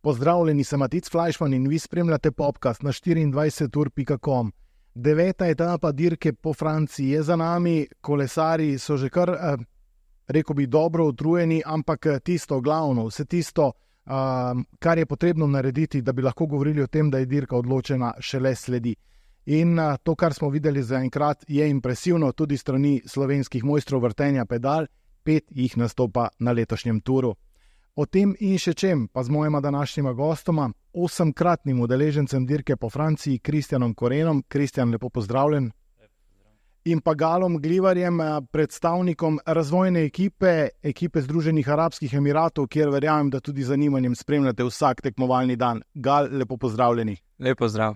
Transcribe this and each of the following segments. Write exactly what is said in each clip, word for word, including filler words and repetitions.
Pozdravljeni, sem Matic Flajšman in vi spremljate podcast na štiriindvajset ur pika com. Deveta etapa dirke po Franciji je za nami, kolesarji so že kar, eh, rekel bi, dobro utrujeni, ampak tisto glavno, vse tisto, eh, kar je potrebno narediti, da bi lahko govorili o tem, da je dirka odločena, šele sledi. In eh, to, kar smo videli zaenkrat, je impresivno tudi strani slovenskih mojstrov vrtenja pedal, pet jih nastopa na letošnjem turu. O tem in še čem pa z mojima današnjima gostoma, osemkratnim udeležencem dirke po Franciji, Kristjanom Korenom. Kristjan, lepo pozdravljen. In pa Galom Glivarjem, predstavnikom razvojne ekipe, ekipe Združenih arabskih emiratov, kjer verjamem, da tudi zanimanjem spremljate vsak tekmovalni dan. Gal, lepo pozdravljeni. Lep pozdrav.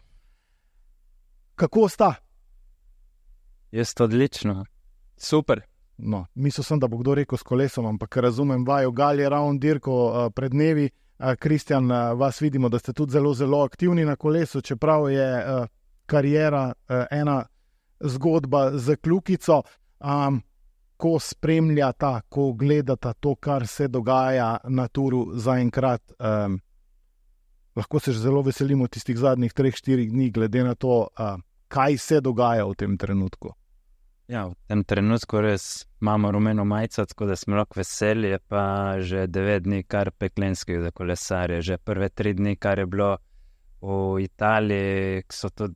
Kako sta? Jaz odlično. Super. No, mislil sem, da bo kdo rekel s kolesom, ampak razumem vajo. Gal je ravno dirko uh, pred dnevi. Uh, Kristjan, uh, vas vidimo, da ste tudi zelo, zelo aktivni na kolesu, čeprav je uh, kariera uh, ena zgodba z kljukico. Um, ko spremljata, ko gledata to, kar se dogaja na turu zaenkrat, um, lahko se zelo veselimo tistih zadnjih treh, štirih dni, glede na to, uh, kaj se dogaja v tem trenutku. Ja, v tem trenutku res imamo rumeno majico, tako da smo lahko veseli, je pa že devet dni kar peklenskih za kolesarje. Že prve tri dni, kar je bilo v Italiji, so tudi,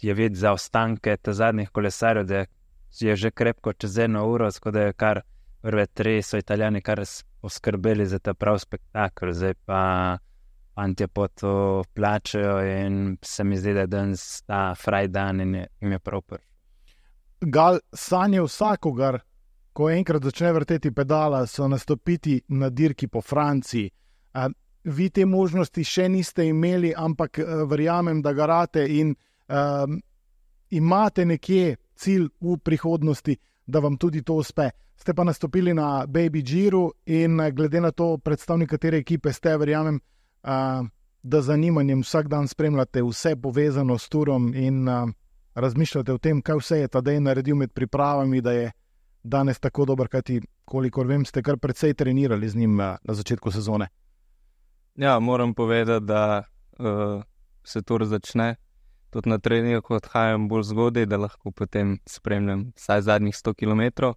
je videti zaostanke te zadnjih kolesarjev, da je že krepko čez eno uro, tako da je kar prve tri so Italijani kar poskrbeli za ta prav spektakel. Zdaj pa fantje po to plačajo in se mi zdi, da je danes ta fraj dan in je, jim je prav prvi. Gal, sanje vsakogar, ko enkrat začne vrteti pedala, so nastopiti na dirki po Franciji. Uh, vi te možnosti še niste imeli, ampak uh, verjamem, da garate in uh, imate nekje cilj v prihodnosti, da vam tudi to uspe. Ste pa nastopili na Baby Giru in uh, glede na to, predstavnik katere ekipe ste, verjamem, uh, da zanimanjem vsak dan spremljate vse povezano s turom in uh, razmišljate o tem, kaj vse je Tadej naredil med pripravami, da je danes tako dober, kajti kolikor vem, ste kar precej trenirali z njim na začetku sezone. Ja, moram povedati, da uh, se tur začne. Tudi na treningu odhajam bolj zgodaj, da lahko potem spremljam vsaj zadnjih sto kilometrov.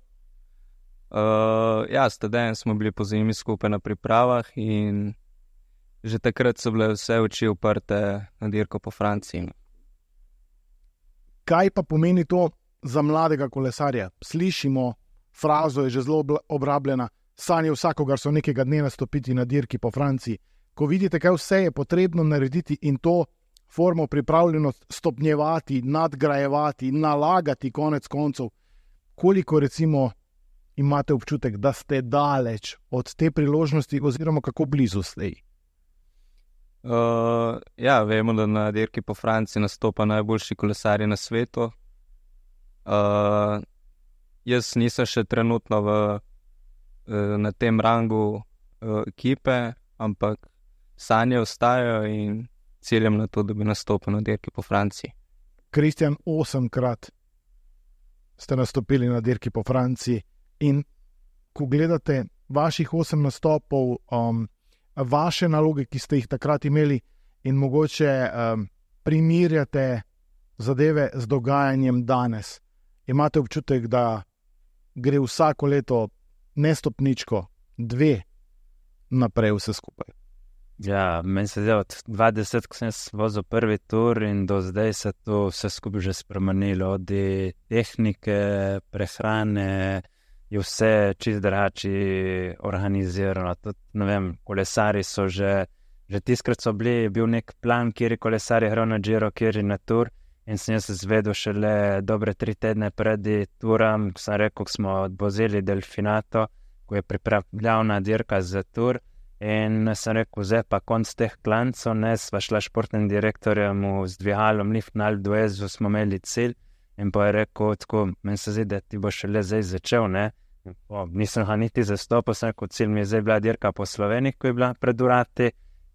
Uh, ja, s Tadejem smo bili po zimi skupaj na pripravah in že takrat so bile vse oči uprte na dirko po Franciji. Kaj pa pomeni to za mladega kolesarja? Slišimo, frazo je že zelo obrabljena, sanje vsakogar so nekega dne nastopiti na dirki po Franciji. Ko vidite, kaj vse je potrebno narediti in to formo pripravljenost stopnjevati, nadgrajevati, nalagati konec koncev, koliko recimo imate občutek, da ste daleč od te priložnosti oziroma kako blizu ste? Uh, ja, vemo, da na dirki po Franciji nastopa najboljši kolesarji na svetu. Uh, jaz nisem še trenutno v, uh, na tem rangu uh, ekipe, ampak sanje ostajajo in ciljem na to, da bi nastopil na dirki po Franciji. Kristjan, osemkrat ste nastopili na dirki po Franciji in ko gledate vaših osem nastopov, um, vaše naloge, ki ste jih takrat imeli in mogoče um, primerjate zadeve z dogajanjem danes. Imate občutek, da gre vsako leto ne stopničko, dve naprej vse skupaj? Ja, meni se zdi, od dvajset, ko sem vozil prvi tur in do zdaj se to vse skupaj že spremenilo. Od tehnike, prehrane, je vse čist drugače organizirano. Tudi, ne vem, kolesari so že, že tiskrat so bili, je bil nek plan, kjer je kolesari hral na Giro, kjer je na tur in sem jaz zvedel šele dobre tri tedne pred turam, ko sem rekel, ko smo odvozili Delfinato, ko je pripravljavna dirka za tur in sem rekel, zdaj pa konc teh klancov, ne, sva šla športnim direktorjem z dvigalom Lift na Alpe d'Huez, smo imeli cilj. In pa je rekel, tako, meni se zdi, da ti bo šele zdaj začel, ne. O, nisem ga niti zastopil, sem rekel, cilj mi je zdaj bila dirka po Sloveniji, ko je bila pred urati,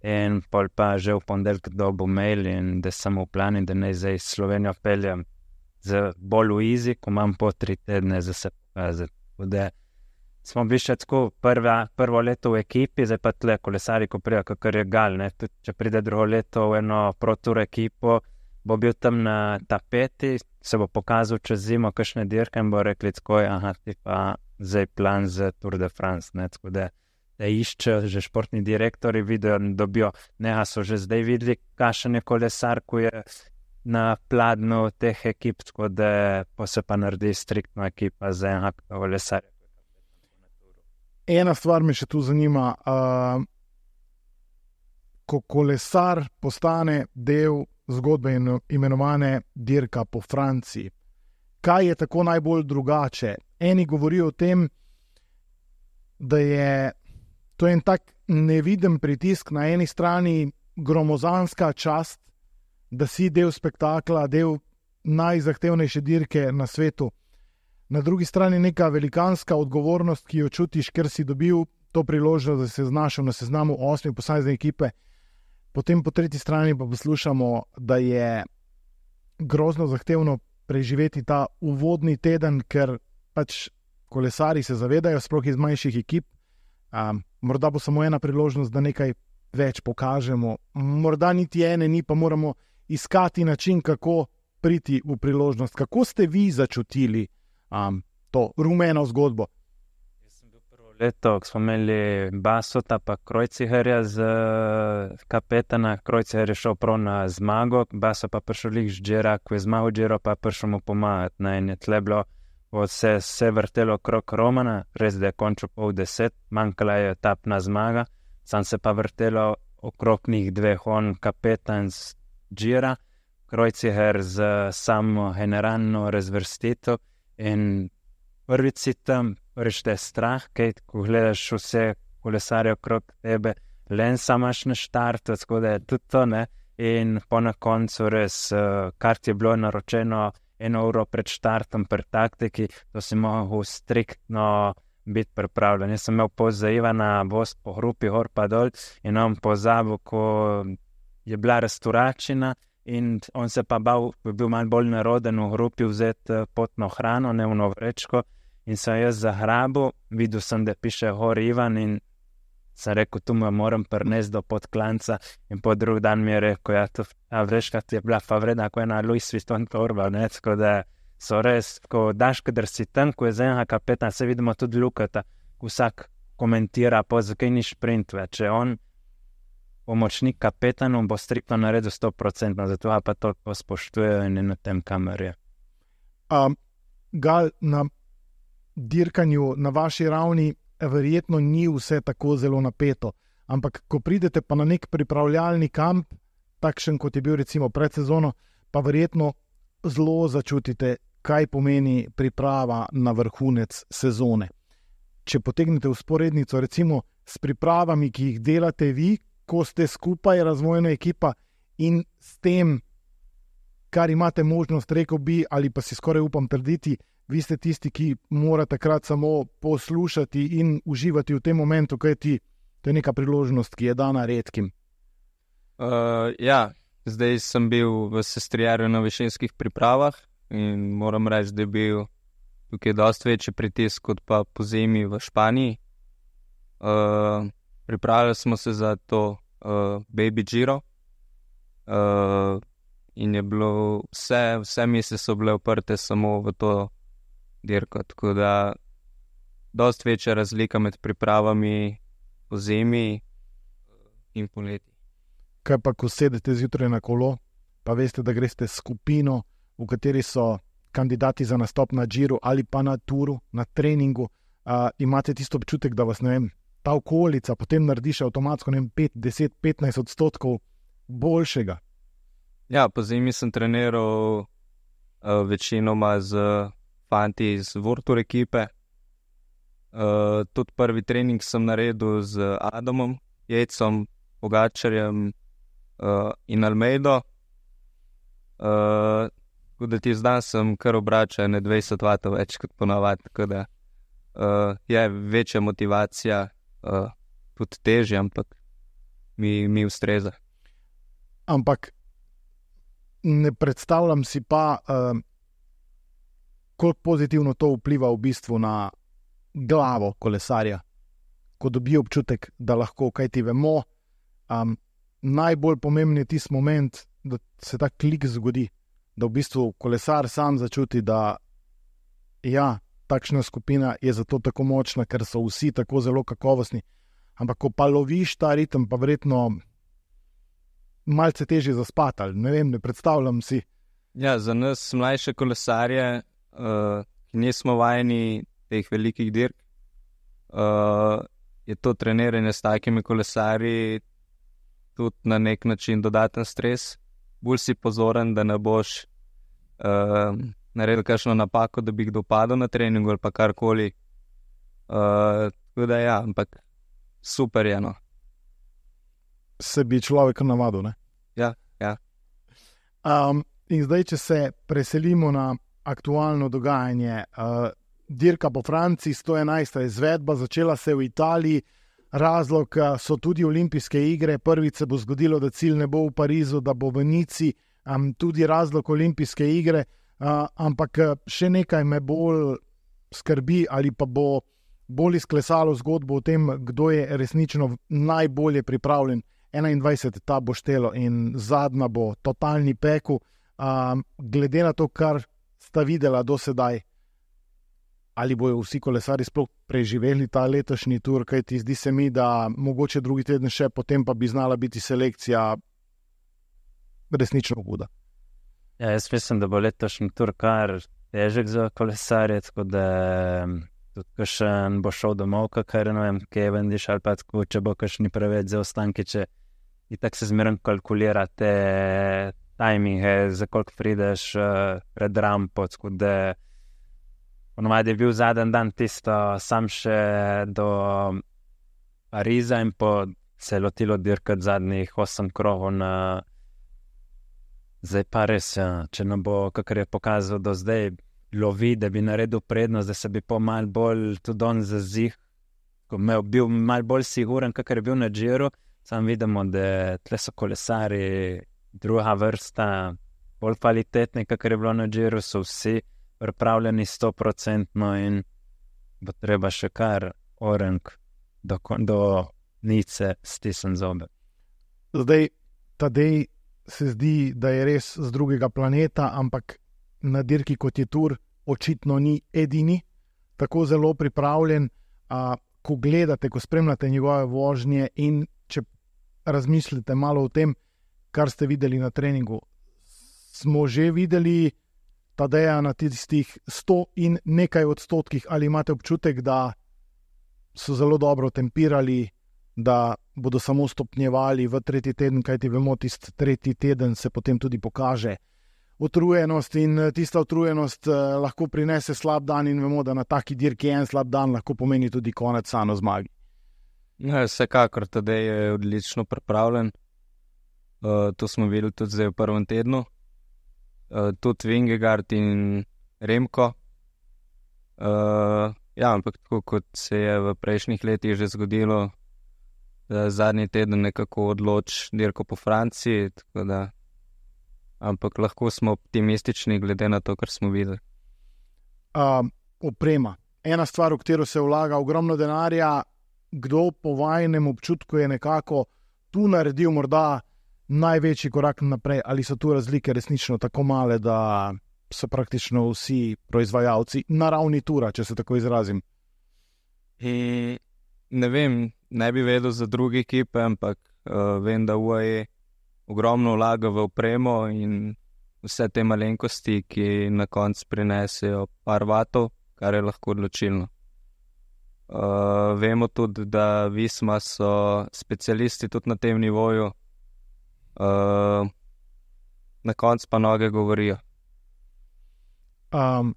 in pol pa že v ponedeljek dobil mail in da sem v plani, da naj zdaj Slovenijo peljem z bolj v izi, ko imam po tri tedne za se pokazati. Bude, smo bili še tako prva, prvo leto v ekipi, zdaj pa tle kolesari, ko prija, kakor je gal, ne, tudi če pride drugo leto v eno pro-tour ekipo, bo bil tam na tapeti, se bo pokazal čez zimo kakšne dirke in bo rekli tako, aha, ti pa zdaj plan za Tour de France, ne, tako da da iščejo že športni direktori, vidijo, dobijo, neha so že zdaj videli, kakšen je kolesar, ko je na pladnu teh ekip, tako da pa se pa naredi striktno ekipa za enega kolesarja. Ena stvar me še tu zanima, uh, ko kolesar postane del zgodbe imenovane dirka po Franciji, kaj je tako najbolj drugače? Eni govorijo o tem, da je to en tak neviden pritisk, na eni strani gromozanska čast, da si del spektakla, del najzahtevnejše dirke na svetu. Na drugi strani neka velikanska odgovornost, ki jo čutiš, ker si dobil to priložnost, da se znašel na seznamu osmi posamezne ekipe. Potem po tretji strani pa poslušamo, da je grozno zahtevno preživeti ta uvodni teden, ker pač kolesari se zavedajo, sploh iz manjših ekip. Um, morda bo samo ena priložnost, da nekaj več pokažemo. Morda niti ene ni, pa moramo iskati način, kako priti v priložnost. Kako ste vi začutili um, to rumeno zgodbo? Jaz sem bil prvo leto, ko smo imeli Basota pa Kreuzigerja z kapetana. Kreuziger je šel prav na zmago, Baso pa prišel lik z Gira, ko je zmagal Giro, pa prišel mu pomagati. Ne, in je tle bilo Se, se vrtelo okrog Romana, res da je končal pol deset, manjkala je etapna zmaga, sam se pa vrtelo okrog njih dveh, on kapetan z Gira, Kreuziger z samo generalno razvrstitev in prvič si tam, prvič te je strah, kaj, ko gledaš vse kolesarje okrog tebe, len sam imaš na štartu, tako da je tudi to, ne, in po na koncu res, kar ti je bilo naročeno eno uro pred štartom, pred taktiki, to si mogel striktno biti pripravljen. Jaz sem imel poza Ivana voz po hrupi, gor pa dol in on pozabil, ko je bila restauračina in on se pa bal, ko je bil malo bolj naroden v hrupi vzeti potno hrano, ne v vrečko in sem jaz zahrabil, videl sem, da piše gor Ivan in sem rekel, tu me moram prnesti do podklanca in po drug dan mi je rekel, ja, to vrečka ti je bila pa vredna, ko je na Louis Vuitton torba, ne, tako da so res, ko daš, kadar si tam, ko je za enega kapetana, se vidimo tudi Lukata, vsak komentira, po zakaj ni šprint več, če on pomočnik kapetanu bo striktno naredil sto procentno, zato pa toliko spoštujejo in je na tem kamerje. Um, Gal, na dirkanju na vaši ravni verjetno ni vse tako zelo napeto, ampak ko pridete pa na nek pripravljalni kamp, takšen kot je bil recimo pred sezono, pa verjetno zelo začutite, kaj pomeni priprava na vrhunec sezone. Če potegnete vzporednico recimo s pripravami, ki jih delate vi, ko ste skupaj razvojna ekipa in s tem, kar imate možnost, rekel bi, ali pa si skoraj upam trditi, vi ste tisti, ki mora takrat samo poslušati in uživati v tem momentu, kajti to je neka priložnost, ki je dana redkim. Uh, ja, zdaj sem bil v sestrijarju na višinskih pripravah in moram reči, da je bil tukaj dosti večji pritisk kot pa po zimi v Španiji. Uh, pripravili smo se za to uh, Baby Giro uh, in je bilo vse, vse misli so bile uprte samo v to dirko, tako da dosti večja razlika med pripravami po zimi in poleti. Kaj pa, ko sedete zjutraj na kolo, pa veste, da greste skupino, v kateri so kandidati za nastop na Giru ali pa na Touru, na treningu, uh, imate tisto občutek, da vas, ne vem, ta okolica potem narediš avtomatsko, ne vem, pet, deset, petnajst odstotkov boljšega? Ja, po zimi sem treniral uh, večinoma z fanti iz World Tour ekipe. Uh, tudi prvi trening sem naredil z Adamom, Jejcom, Pogačarjem uh, in Almeido. Uh, tako da ti zdan sem kar obračal ne dvajset vatov več kot ponavadi, tako da uh, je večja motivacija, uh, tudi težje, ampak mi, mi ustreza. Ampak ne predstavljam si pa uh, koliko pozitivno to vpliva v bistvu na glavo kolesarja, ko dobi občutek, da lahko, kaj ti vemo, um, najbolj pomemben je tisti moment, da se ta klik zgodi, da v bistvu kolesar sam začuti, da ja, takšna skupina je zato tako močna, ker so vsi tako zelo kakovostni. Ampak ko pa loviš ta ritem, pa verjetno malce težje zaspati, ali ne vem, ne predstavljam si. Ja, za nas mlajše kolesarje, uh, ki nismo vajeni teh velikih dirk, uh, je to treniranje s takimi kolesarji tudi na nek način dodaten stres. Bolj si pozoren, da ne boš uh, naredil kakšno napako, da bi kdo padel na treningu ali pa karkoli. Uh, tako da ja, ampak super je, no. Se bi človek navadil, ne? Ja, ja. Um, in zdaj, če se preselimo na aktualno dogajanje, uh, dirka po Franciji, sto enajsta izvedba, začela se v Italiji, razlog uh, so tudi olimpijske igre, prvič se bo zgodilo, da cilj ne bo v Parizu, da bo v Nici, um, tudi razlog olimpijske igre, uh, ampak še nekaj me bolj skrbi, ali pa bo bolj izklesalo zgodbo o tem, kdo je resnično najbolje pripravljen. enaindvajset ta bo štelo in zadnja bo totalni peku. Um, glede na to, kar sta videla do sedaj, ali bojo vsi kolesari sploh preživeli ta letošnji tur, kajti zdi se mi, da mogoče drugi teden še, potem pa bi znala biti selekcija resnično huda. Ja, jaz mislim, da bo letošnji tur kar težek za kolesarje, tako da tudi kakšen bo šel domov, kakor ne vem, Cavendish ali pa tako, če bo kakšni preveč zaostanki, če i tak se zmerno kalkulira te tajminge, za koliko prideš uh, pred rampo, tako da ponovadi je bil zadnji dan tisto sam še do Pariza in po se je lotilo dirkati zadnjih osem krogov na zdaj pa res, ja, če ne bo, kakor je pokazal do zdaj, lovi, da bi naredil prednost, da se bi po mal bolj tudi on zazih, ko me bil mal bolj siguren, kakor je bil na Giro, sam vidimo, da tle so kolesari druga vrsta, bolj kvalitetni, kakor je bilo na Giro, so vsi pripravljeni sto procentno in bo treba še kar orenk do, do Nice stisniti zobe. Zdaj, Tadej se zdi, da je res z drugega planeta, ampak na dirki kot je Tour očitno ni edini, tako zelo pripravljen, a, ko gledate, ko spremljate njegove vožnje in če razmislite malo o tem, kar ste videli na treningu. Smo že videli Tadeja na tistih sto in nekaj odstotkih, ali imate občutek, da so zelo dobro tempirali, da bodo samo stopnjevali v tretji teden, kajti vemo, tisti tretji teden se potem tudi pokaže utrujenost in tista utrujenost eh, lahko prinese slab dan in vemo, da na taki dirki en slab dan lahko pomeni tudi konec sano zmagi. Ja, vsekakor, Tadej je odlično pripravljen. Uh, to smo videli tudi zdaj v prvem tednu. Uh, tudi Vingegaard in Remko. Uh, ja, ampak tako kot se je v prejšnjih letih že zgodilo, da zadnji teden nekako odloč dirko po Franciji, tako da ampak lahko smo optimistični glede na to, kar smo videli. Uh, oprema. Ena stvar, v katero se vlaga ogromno denarja, kdo po vajnem občutku je nekako tu naredil morda največji korak naprej, ali so tu razlike resnično tako male, da so praktično vsi proizvajalci na ravni tura, če se tako izrazim? In ne vem, ne bi vedel za druge ekipe, ampak uh, vem, da U A E ogromno vlaga v opremo in vse te malenkosti, ki na koncu prinesejo par vatov, kar je lahko odločilno. Uh, vemo tudi, da Visma so specialisti tudi na tem nivoju. Uh, na koncu pa noge govorijo. Um,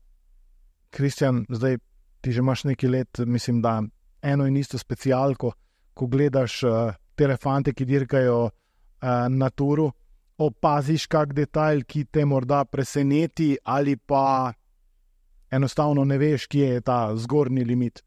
Kristjan, zdaj ti že imaš nekaj let, mislim, da eno in isto specialko, ko gledaš uh, te fante, ki dirkajo uh, na turu, opaziš kak detajl, ki te morda preseneti, ali pa enostavno ne veš, kje je ta zgornji limit.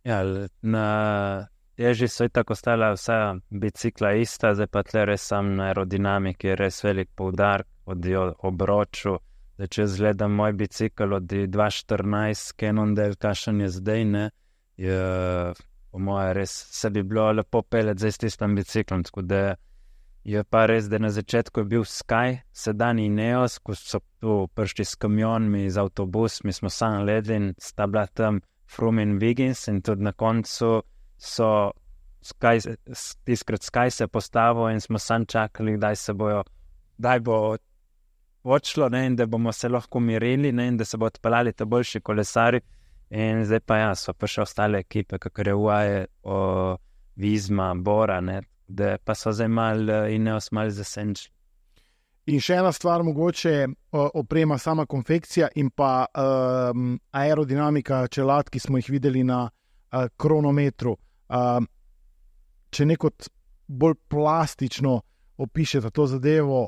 Ja, na teži so itak ostala vsa bicikla ista, zdaj pa tle res sam na aerodinamiki je res velik poudarek od obroču Da, če zgledam moj bicikl od dva štirinajst Cannondale, kakšen je zdaj, ne, je po moje res se bi bilo lepo peljati zdaj s tistim biciklom, tako da je pa res, da na začetku je bil Sky, sedanji Ineos, ko so tu prišli s kamionmi, z avtobusmi, smo sam ledli in sta bila tam Froome in Wiggins in tudi na koncu so Sky, tiskrat Sky se postavil in smo sam čakali, kdaj se bojo, kdaj bo odšlo, ne, in da bomo se lahko mirili, ne, in da se bo odpeljali te boljši kolesari. In zdaj pa ja, so pa še ostale ekipe, kakor je U A E, o, Vizma, Bora, ne, da pa so zdaj malo Ineos malo zasenčili. In še ena stvar, mogoče oprema, sama konfekcija in pa um, aerodinamika čelad, ki smo jih videli na uh, kronometru. Uh, če nekot bolj plastično opišete to zadevo,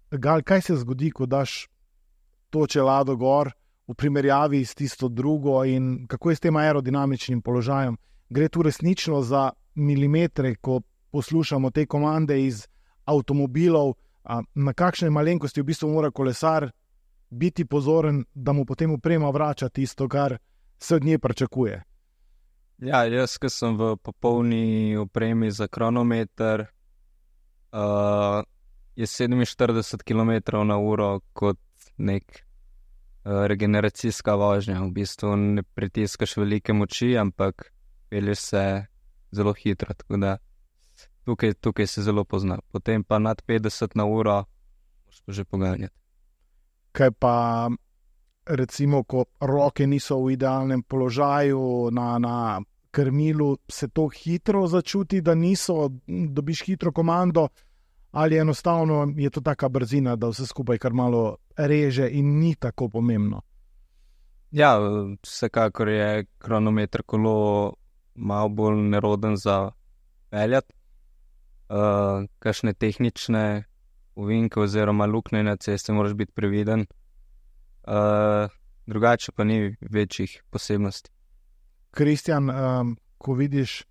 Gal, kaj se zgodi, ko daš to čelado gor v primerjavi s tisto drugo in kako je s tem aerodinamičnim položajem? Gre tu resnično za milimetre, ko poslušamo te komande iz avtomobilov, na kakšne malenkosti v bistvu mora kolesar biti pozoren, da mu potem oprema vrača tisto, kar se od nje pričakuje. Ja, jaz, ki sem v popolni opremi za kronometer, uh, je sedeminštirideset kilometrov na uro kot nek uh, regeneracijska vožnja. V bistvu ne pritiskaš velike moči, ampak pelješ se zelo hitro, tako da Tukaj, tukaj se zelo pozna. Potem pa nad petdeset na uro moraš pa že poganjati. Kaj pa recimo, ko roke niso v idealnem položaju na, na krmilu, se to hitro začuti, da niso, dobiš hitro komando, ali enostavno je to taka brzina, da vse skupaj kar malo reže in ni tako pomembno? Ja, vsekakor je kronometer kolo malo bolj neroden za peljati. Uh, kakšne tehnične ovinke oziroma luknje na cesti moraš biti previden. Uh, drugače pa ni večjih posebnosti. Kristjan, um, ko vidiš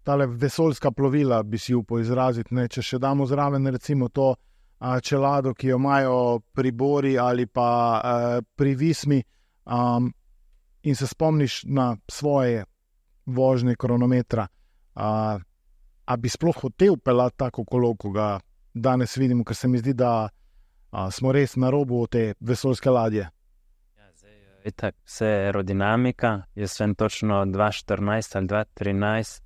tale vesoljska plovila, bi si upal izraziti, ne? Če še damo zraven recimo to uh, čelado, ki jo imajo pri Bori ali pa uh, pri Vismi, um, in se spomniš na svoje vožnje kronometra, uh, a bi sploh hotel pelati tako kolo, ko ga danes vidimo, ker se mi zdi, da a, smo res na robu te vesoljske ladje. Ja, zdaj, itak, vse aerodinamika, jaz vem točno dva štirinajst ali dva trinajst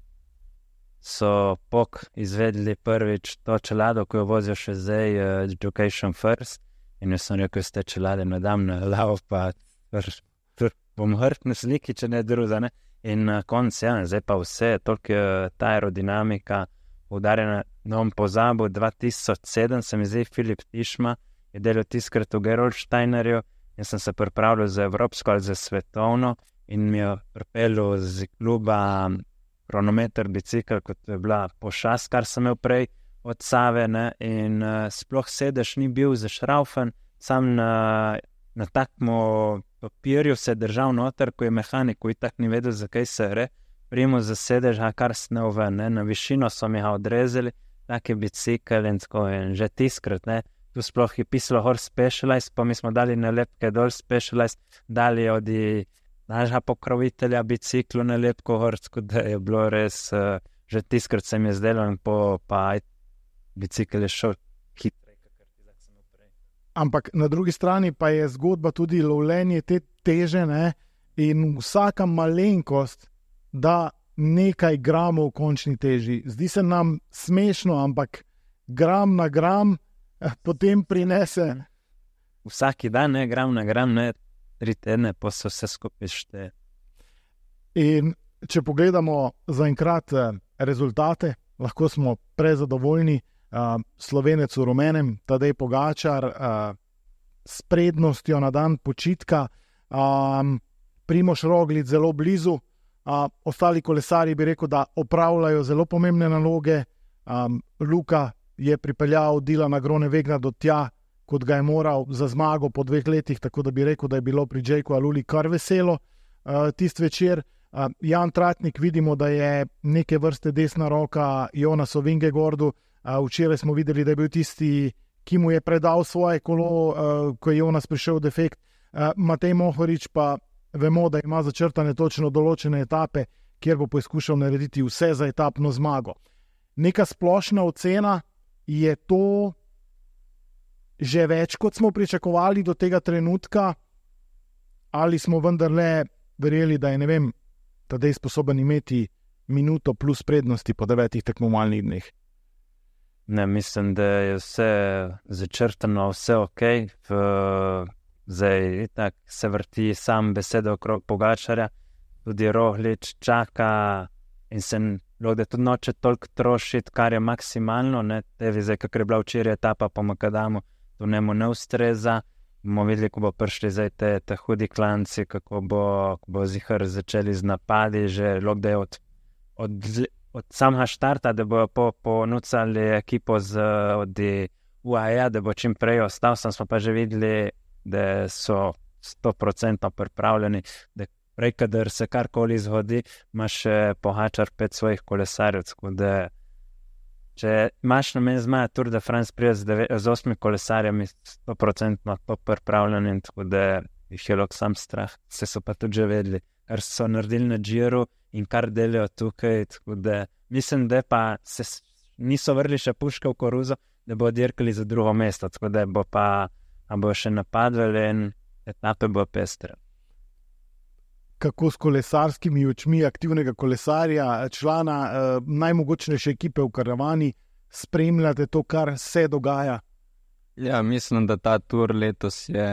so P O K izvedli prvič to čelado, ko jo vozijo še zdaj uh, Education First, in jaz sem rekel, z te čelade ne dam na lavo, pa tr, tr, bom hrt na sliki, če ne druga, ne. In na koncu, ja, zdaj pa vse, toliko ta aerodinamika udarjena, no bom pozabil, dva tisoč sedem se mi zdaj Filip Tišma je delal tiskrat v Gerolsteinerju in sem se pripravljal za evropsko ali za svetovno in mi je pripeljal z kluba kronometer bicikl, kot je bila pošast, kar sem imel prej od Save, ne, in uh, sploh sedež ni bil zašraufen, sam na, na takmo papirju se je držal noter, ko je mehanik, ko itak ni vedel, zakaj se re, primo za sedež, a kar snel ven, ne, na višino so mi ga odrezali, take bicikl in tako, in že tiskrat, ne, tu sploh je pisalo Horse Specialized, pa mi smo dali nalepke dol Specialized, dali od našega pokrovitelja biciklu nalepko Horse, kot da je bilo res, uh, že tiskrat se mi je zdelo in po, pa bicikl je šel hitro. Ampak na drugi strani pa je zgodba tudi lovljenje te teže, ne? In vsaka malenkost da nekaj gramov v končni teži. Zdi se nam smešno, ampak gram na gram potem prinese. Vsaki dan, ne, gram na gram, ne, tri tedne, pa se vse skupaj šteje. In če pogledamo zaenkrat rezultate, lahko smo prezadovoljni. Uh, Slovenec v rumenem, Tadej Pogačar, uh, s prednostjo na dan počitka, um, Primož Roglič zelo blizu, uh, ostali kolesari bi rekel, da opravljajo zelo pomembne naloge. um, Luka je pripeljal Dilana Groenewegna do tja, kot ga je moral za zmago po dveh letih, tako da bi rekel, da je bilo pri Jayku Aluli kar veselo uh, tist večer. uh, Jan Tratnik vidimo, da je neke vrste desna roka Jonasu Vingegordu. Uh, včeraj smo videli, da je bil tisti ki mu je predal svoje kolo, uh, ko je Jonas prišel v defekt. Uh, Matej Mohorič pa vemo, da ima začrtane točno določene etape, kjer bo poskušal narediti vse za etapno zmago. Neka splošna ocena, je to že več, kot smo pričakovali do tega trenutka, ali smo vendarle verjeli, da je, ne vem, Tadej sposoben imeti minuto plus prednosti po devetih tekmovalnih dneh? Ne, mislim, da je vse začrtano, vse ok. V, zdaj tak se vrti sam beseda okrog Pogačarja, tudi Roglič čaka in se da tudi noče toliko trošiti, kar je maksimalno, ne, tevi zdaj, kakor je bila včeraj etapa po Makadamu, to njemu ne ustreza. Bomo videli, ko bo prišli zdaj te, te hudi klanci, kako bo, bo zihar začeli z napadi, že da je od, od, od samega štarta, da bojo po, ponucali ekipo z, od U A E, da bo čim prej ostal, sem smo pa že videli, da so sto procentno pripravljeni, da prej, kadar se karkoli zgodi, imaš Pogačar pet svojih kolesarjev, tako da če imaš namen zmaga Tour de France prije z, z osmi kolesarjami, sto procentno to pripravljeni, tako da jih je lahko sam strah. Se so pa tudi že vedeli, kar so naredili na Giru in kar delajo tukaj, tako da mislim, da pa se niso vrli še puške v koruzo, da bo dirkali za drugo mesto, tako da bo pa bo še napadali in etape bo pestre. Kako s kolesarskimi očmi aktivnega kolesarja, člana eh, najmogočnejše ekipe v karavani, spremljate to, kar se dogaja? Ja, mislim, da ta tur letos je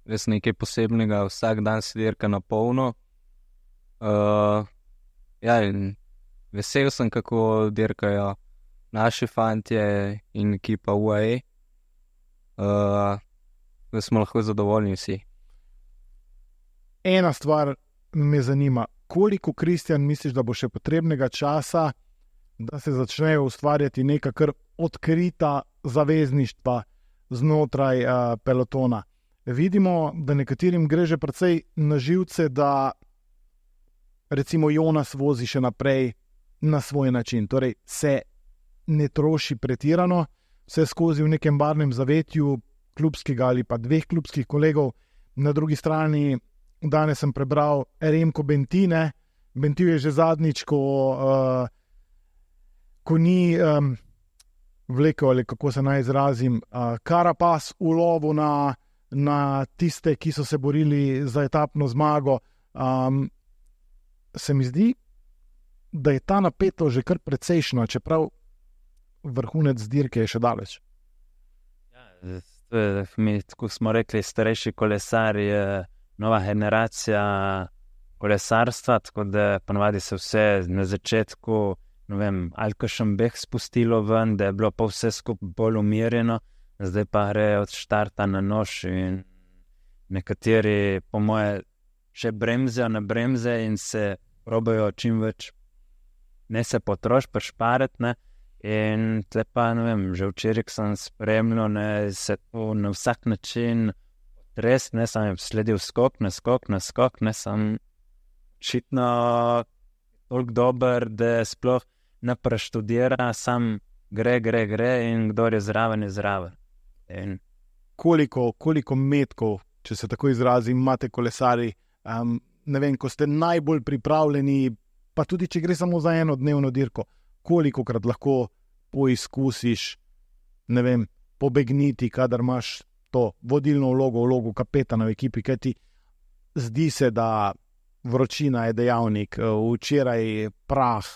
res nekaj posebnega, vsak dan se dirka na polno. Uh, ja, in vesel sem, kako dirkajo naši fantje in ekipa U A E. Uh, da smo lahko zadovoljni vsi. Ena stvar me zanima, koliko, Kristjan, misliš, da bo še potrebnega časa, da se začnejo ustvarjati neka kar odkrita zavezništva znotraj uh, pelotona. Vidimo, da nekaterim gre že precej na živce, da recimo Jonas vozi še naprej na svoj način, torej se ne troši pretirano, vse skozi v nekem barnem zavetju klubskega ali pa dveh klubskih kolegov. Na drugi strani danes sem prebral Remko Bentine. Bentil je že zadnjič, ko, uh, ko ni um, vlekel, ali kako se naj izrazim, uh, Carapaz v lovu na, na tiste, ki so se borili za etapno zmago. Um, se mi zdi, da je ta napetost že kar precejšna, čeprav vrhunec dirke je še daleč. Ja, mi, tako smo rekli, starejši kolesar je nova generacija kolesarstva, tako da ponavadi se vse na začetku, ne vem, ali kakšen beh spustilo ven, da je bilo pa vse skupaj bolj umirjeno, zdaj pa gre od štarta na nož in nekateri, po moje, še bremzejo na bremze in se probajo čim več ne se potroš, prešpariti, ne. In tle pa, ne vem, že včeraj sem spremljal, ne, se to na vsak način res, ne, sem sledil skok na skok na skok, ne, sem očitno toliko dober, da sploh ne preštudira, sam gre, gre, gre in kdor je zraven, je zraven. In koliko, koliko metkov, če se tako izrazim, imate kolesari, um, ne vem, ko ste najbolj pripravljeni, pa tudi če gre samo za eno dnevno dirko, kolikokrat lahko poizkusiš, ne vem, pobegniti, kadar imaš to vodilno vlogo, vlogo kapetana v ekipi, kaj ti zdi se, da vročina je dejavnik, včeraj prah,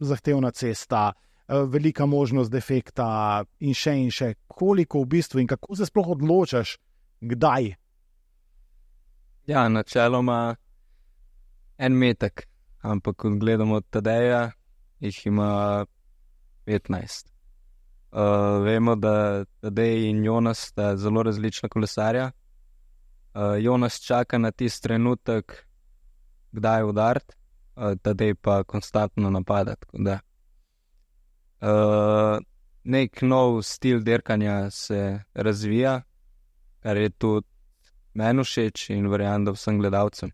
zahtevna cesta, velika možnost defekta in še in še. Koliko v bistvu in kako se sploh odločaš, kdaj? Ja, načeloma en metek, ampak ko gledamo Tadeja, jih ima petnajst. Uh, vemo, da Tadej in Jonas sta zelo različna kolesarja. Uh, Jonas čaka na tisti trenutek, kdaj udariti, uh, Tadej pa konstantno napada. Da. Uh, nek nov stil dirkanja se razvija, kar je tudi meni všeč in verjamem, da vsem gledalcem.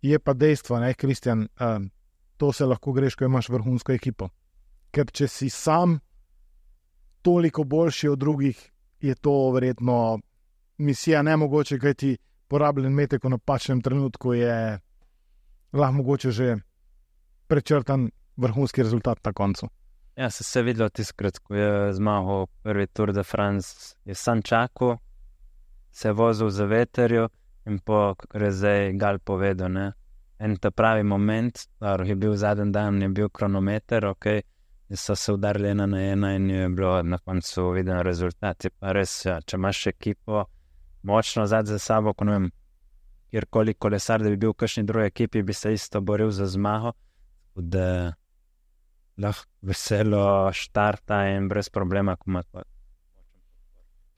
Je pa dejstvo, ne, Kristjan, um, to se lahko greš, ko imaš vrhunsko ekipo. Ker če si sam, toliko boljši od drugih, je to verjetno misija nemogoče, kajti porabljen metek v napačnem trenutku je lahko mogoče že prečrtan vrhunski rezultat na koncu. Ja, se je videlo tiskrat, ko je zmagal prvi Tour de France, je sam čakal, se je vozil za veterjo in po, kakor je zdaj Gal povedal, ne, en ta pravi moment, dobro, je bil zadnji dan, je bil kronometer, ok, so se udarili ena na ena in je bilo na koncu viden rezultat. Je pa res, ja, če imaš ekipo močno zadnji za sabo, ko ne vem, kjerkoli kolesar, da bi bil v kakšni drugi ekipi, bi se isto boril za zmago, da lahko veselo štarta in brez problema, ko ima to.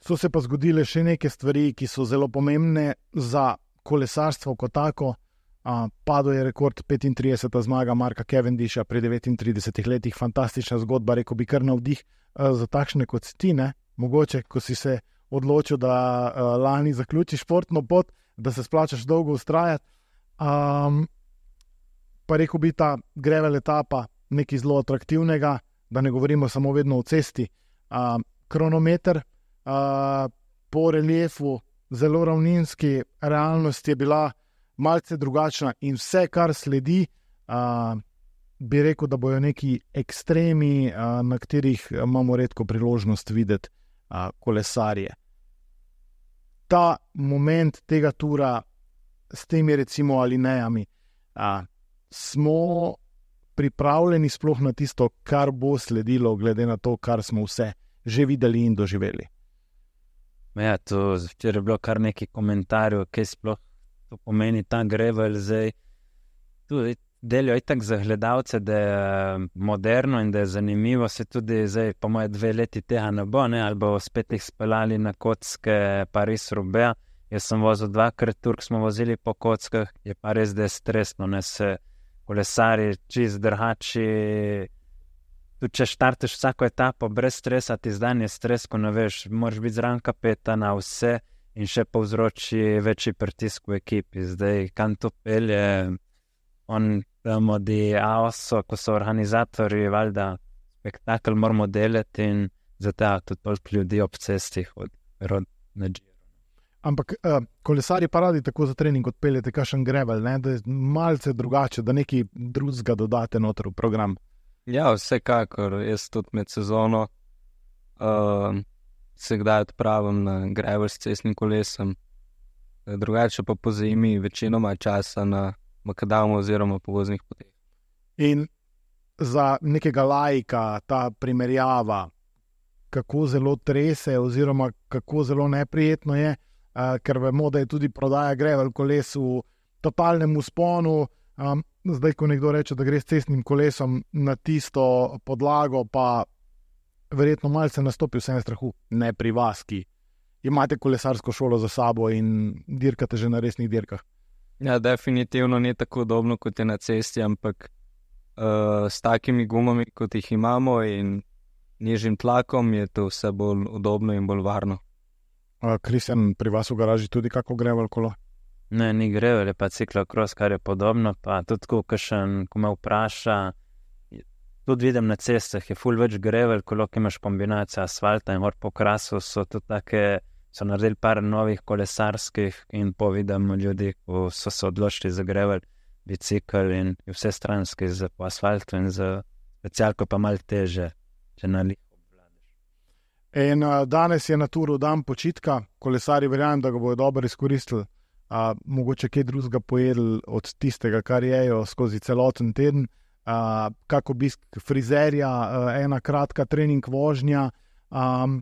So se pa zgodile še neke stvari, ki so zelo pomembne za kolesarstvo kot tako. Uh, padel je rekord petintrideseta zmaga Marka Cavendisha pri devetintridesetih letih, fantastična zgodba, rekel bi kar navdih uh, za takšne kot si ti, ne? Mogoče, ko si se odločil, da uh, lani zaključiš športno pot, da se splačaš dolgo ustrajati. Um, pa rekel bi ta gravel etapa nekaj zelo atraktivnega, da ne govorimo samo vedno o cesti. Uh, kronometer uh, po reliefu, zelo ravninski, realnost je bila malce drugačna in vse, kar sledi, uh, bi rekel, da bojo neki ekstremi, uh, na katerih imamo redko priložnost videti uh, kolesarje. Ta moment tega tura s temi recimo alinejami, uh, smo pripravljeni sploh na tisto, kar bo sledilo, glede na to, kar smo vse že videli in doživeli. Ja, to včeraj je bilo kar nekaj komentarjev, kaj sploh to pomeni ta gravel zdaj. Tudi delijo itak za gledalce, da je moderno in da je zanimivo, se tudi zdaj, po moje dve leti tega ne bo, ne, ali bo spet jih speljali na kocke Paris-Roubaix. Jaz sem vozil dvakrat Turk, smo vozili po kockah, je pa res, da je stresno, ne, se kolesari čist drhači, tudi če štarteš vsako etapo brez stresa, ti zdaj je stres, ko ne veš, moraš biti zraven kapetana, vse, in še povzroči večji pritisk v ekipi. Zdaj, kam to pelje, on damo di A O S O, ko so organizatorji, valjda, spektakel moramo delati in zato tudi toliko ljudi ob cesti od rod na Giro. Ampak uh, kolesari pa radi tako za trening odpeljete kakšen gravel, ne? Da je malce drugače, da nekaj drugega dodate noter v program. Ja, vsekakor, jaz tudi med sezono uh, se kdaj odpravim na gravel s cestnim kolesom, drugače pa po zimi večinoma časa na makadamu oziroma po voznih poteh. In za nekega laika ta primerjava, kako zelo trese oziroma kako zelo neprijetno je, uh, ker vemo, da je tudi prodaja gravel koles v totalnem vzponu. Um, zdaj, ko nekdo reče, da gre s cestnim kolesom na tisto podlago, pa verjetno malce nastopi vsem strahu, ne pri vas, ki imate kolesarsko šolo za sabo in dirkate že na resnih dirkah. Ja, definitivno ni tako udobno, kot je na cesti, ampak uh, s takimi gumami, kot jih imamo in nižjim tlakom, je to vse bolj udobno in bolj varno. Kristjan, uh, pri vas v garaži tudi kako gravel kolo? Ne, ni gravel, je pa ciklokros, kar je podobno, pa tudi ko kakšen, ko me vpraša, tudi vidim na cestah, je ful več gravel, kolo, ki imaš kombinacijo asfalta in gor po krasu, so tudi take, so naredili par novih kolesarskih in povidim ljudi, ko so se odločili za gravel, bicikl in vse stranski za po asfaltu in za specialko pa malo teže, če na liho obvladaš. In uh, danes je na turu dan počitka, kolesari verjamem, da ga bojo dobro izkoristili, uh, mogoče kaj drugega pojedli od tistega, kar jejo skozi celoten teden. Uh, kak obisk frizerja, uh, ena kratka trening vožnja, um,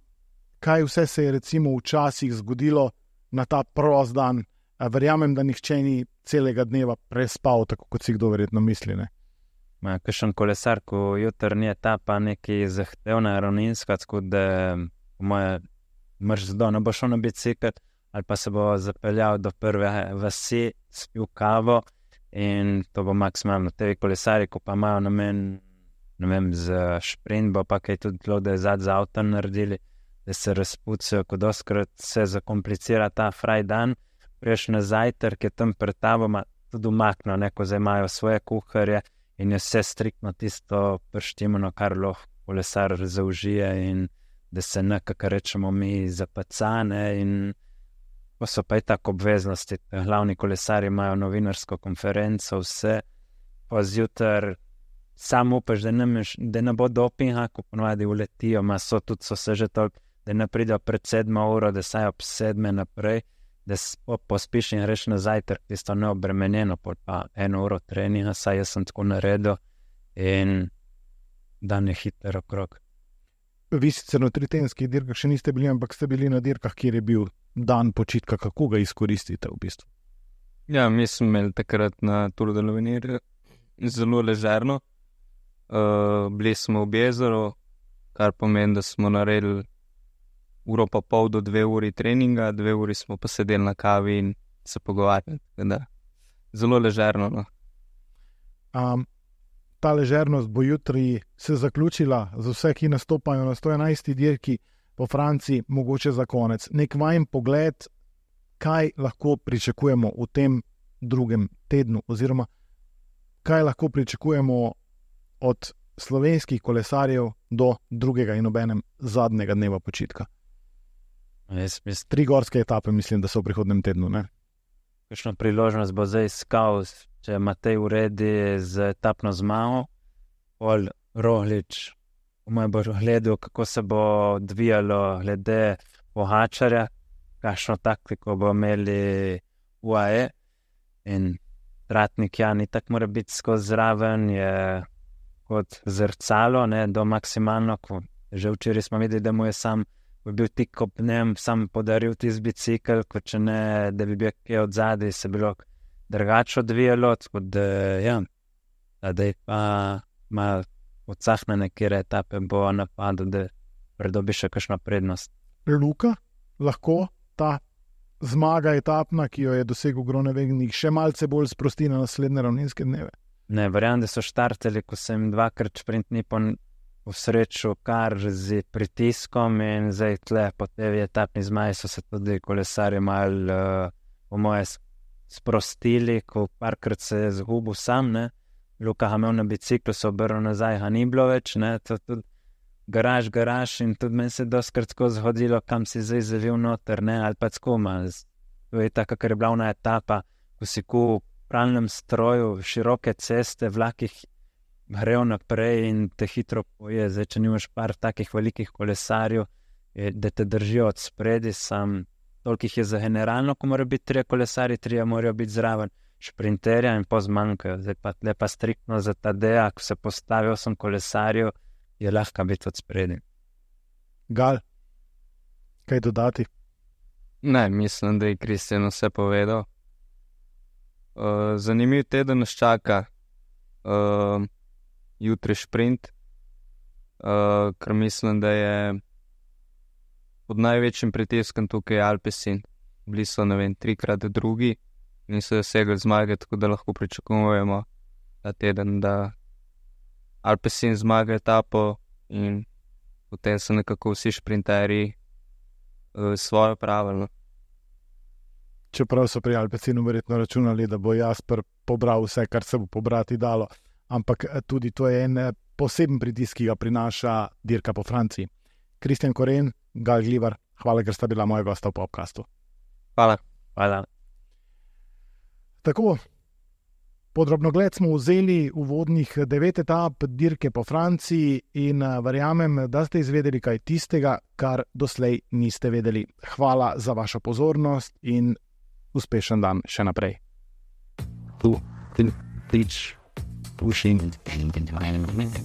kaj vse se je recimo včasih zgodilo na ta prost dan. Uh, verjamem, da nihče ni celega dneva prespal, tako kot si kdo verjetno misli, ne? Ma, kakšen kolesar, ko jutrnji etapa neki zahtevna ravninska, tako da po moje mrš zdo, ne bo šel na bicikl, ali pa se bo zapeljal do prve vasi, spil kavo. In to bo maksimalno. Tevi kolesari, ko pa imajo namen, ne vem, za šprint, bo pa kaj tudi tlo, da je zad za avto naredili, da se razpucajo, ko doskrat se zakomplicira ta fraj dan, priješ na zajtrk, je tam pred tabo, tudi umakno, neko zdaj imajo svoje kuharje in je vse striktno tisto prštimano, kar lahko kolesar zaužije in da se nekako rečemo mi zapacane in pa so pa i tako obveznosti. Glavni kolesari imajo novinarsko konferenco, vse, pa zjutraj sam upaš, da ne, meš, da ne bo dopinga, ko ponovadi uletijo, ma so tudi so se že toliko, da ne pridejo pred sedmo uro, da saj ob sedme naprej, da po, pospiš in greš na zajtrk, tisto neobremenjeno, pa eno uro treninga, saj jaz sem tako naredil in dan je hiter okrog. Vi sicer na tritenskih dirkah še niste bili, ampak ste bili na dirkah, kjer je bil dan počitka, kako ga izkoristite v bistvu? Ja, mi smo imeli takrat na Tour de l'Avenir zelo ležerno. Uh, bili smo v Bezeru, kar pomeni, da smo naredili uro pa pol do dve uri treninga, dve uri smo pa sedeli na kavi in se pogovarjali. Zelo ležerno. No. Um, ta ležernost bo jutri se zaključila za vse, ki nastopajo na sto enajsti dirki po Franciji, mogoče za konec. Nek vajen pogled, kaj lahko pričakujemo v tem drugem tednu, oziroma kaj lahko pričakujemo od slovenskih kolesarjev do drugega in obenem zadnjega dneva počitka. Jaz mislim, Tri gorske etape mislim, da so v prihodnem tednu, ne? kakšno priložnost bo zdaj iskal, če Matej uredi z etapno zmago, pol Roglič, moj bo gledal, kako se bo odvijalo glede Pogačarja, kakšno taktiko bo imeli U A E in Tratnik Jan itak mora biti skozi zraven, je kot zrcalo, ne, do maksimalno, ko že včeraj smo videli, da mu je sam bi bil tik ob njem, sam podaril tisti bicikl, kot če ne, da bi bil kaj od zadaj, se bilo drugače odvijalo, tako da, ja, da je pa malo odsahnene, kjer etape bo napadel, da pridobi še kakšno prednost. Luka, lahko ta zmaga etapna, ki jo je dosegel Groenewegnik, še malce bolj sprosti na naslednje ravninske dneve? Ne, verjamem, da so štartali, ko sem dvakrat sprintni po v sreču kar z pritiskom in zdaj tle po tej etapni zmaji so se tudi kolesarji malo, uh, po moje, sprostili, ko parkrat se je zgubil sam, ne. Luka ga imel na biciklu, se obrnil nazaj, ga ni bilo več, ne, to tudi garaž, garaž in tudi meni se je doskrat tako zhodilo, kam si zdaj zavil noter, ne, ali pa tako malo. To je tako, kar je bila ona etapa, ko si ku v pralnem stroju, široke ceste, vlakih grejo naprej in te hitro poje. Zdaj, če nimaš par takih velikih kolesarjev, da te držijo od spredi, sam toliko jih je za generalno, ko mora biti trije kolesari, trije morajo biti zraven šprinterja in pozmanjkajo. Zdaj pa lepa striktno za Tadeja, ko se postavi osem kolesarjev, je lahko biti od spredi. Gal, kaj dodati? Ne, mislim, da je Kristjan vse povedal. Uh, zanimiv teden nas čaka. Uh, jutri šprint, uh, ker mislim, da je pod največjim pritiskom tukaj Alpecin. Bili so, ne vem, trikrat drugi, niso dosegli zmage, tako da lahko pričakujemo ta teden, da Alpecin zmaga etapo in potem so nekako vsi šprinterji uh, svojo pravilno. Čeprav so pri Alpecinu verjetno računali, da bo Jasper pobral vse, kar se bo pobrati dalo, ampak tudi to je en poseben pritisk, ki ga prinaša dirka po Franciji. Kristjan Koren, Gal Glivar, hvala, ker sta bila moja gosta v podcastu. Hvala. Hvala. Tako, podrobnogled smo vzeli uvodnih devet etap dirke po Franciji in verjamem, da ste izvedeli kaj tistega, kar doslej niste vedeli. Hvala za vašo pozornost in uspešen dan še naprej. Tu, ti, tič. Pushing into environment.